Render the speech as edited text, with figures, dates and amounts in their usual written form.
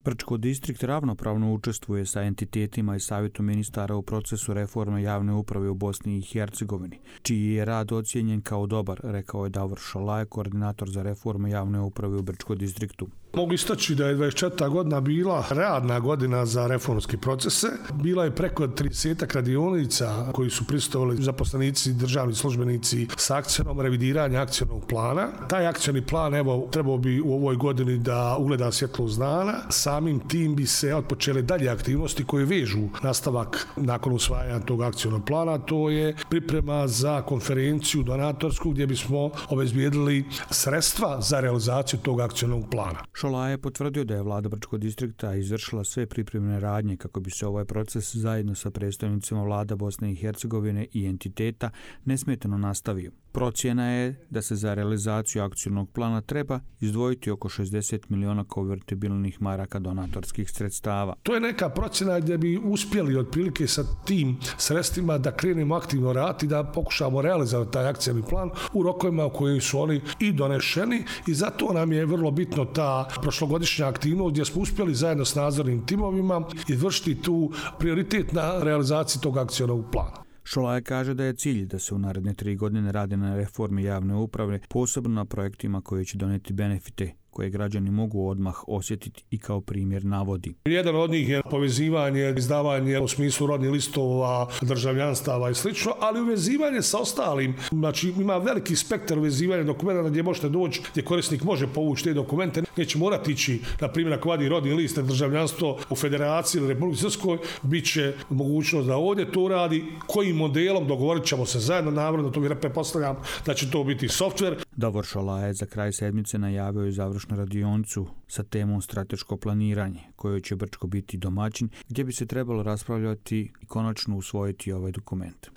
Brčko distrikt ravnopravno učestvuje sa entitetima i savjetom ministara u procesu reforme javne uprave u Bosni i Hercegovini, čiji je rad ocijenjen kao dobar, rekao je Davor Šolaj, koordinator za reforme javne uprave u Brčko distriktu. Mogu istaći da je 24. godina bila radna godina za reformske procese. Bila je preko 30 radionica koji su prisustvovali zaposlenici, državni službenici s akcijom revidiranja akcionog plana. Taj akcioni plan trebao bi u ovoj godini da ugleda svjetlost dana. Samim tim bi se otpočele dalje aktivnosti koje vežu nastavak nakon usvajanja tog akcionog plana. To je priprema za konferenciju donatorsku gdje bismo obezbijedili sredstva za realizaciju tog akcionog plana. Šolaj je potvrdio da je vlada Brčkog distrikta izvršila sve pripremne radnje kako bi se ovaj proces zajedno sa predstavnicima vlada Bosne i Hercegovine i entiteta nesmetano nastavio. Procjena je da se za realizaciju akcionog plana treba izdvojiti oko 60 miliona konvertibilnih maraka donatorskih sredstava. To je neka procjena gdje bi uspjeli otprilike sa tim sredstvima da krenemo aktivno raditi, da pokušamo realizovati taj akcioni plan u rokovima u kojim su oni i donešeni, i zato nam je vrlo bitno ta prošlogodišnja aktivnost gdje smo uspjeli zajedno s nadzornim timovima izvršiti tu prioritet na realizaciji tog akcionog plana. Šolaj kaže da je cilj da se u naredne 3 godine radi na reformi javne uprave, posebno na projektima koji će doneti benefite koje građani mogu odmah osjetiti, i kao primjer navodi. Jedan od njih je povezivanje, izdavanje u smislu rodnih listova, državljanstava i slično, ali uvezivanje sa ostalim. Znači ima veliki spektar uvezivanja dokumenta gdje možete doći, gdje korisnik može povući te dokumente. Neće morati ići, na primjer, ako vadi rodni list, državljanstvo u Federaciji ili Republici Srpskoj, bit će mogućnost da ovdje to radi. Kojim modelom dogovorit ćemo se zajedno, naravno, to pretpostavljam da će to biti softver. Davor Šolaj je za kraj sedmice najavio i završnu radioncu sa temom strateško planiranje, kojoj će Brčko biti domaćin, gdje bi se trebalo raspravljati i konačno usvojiti ovaj dokument.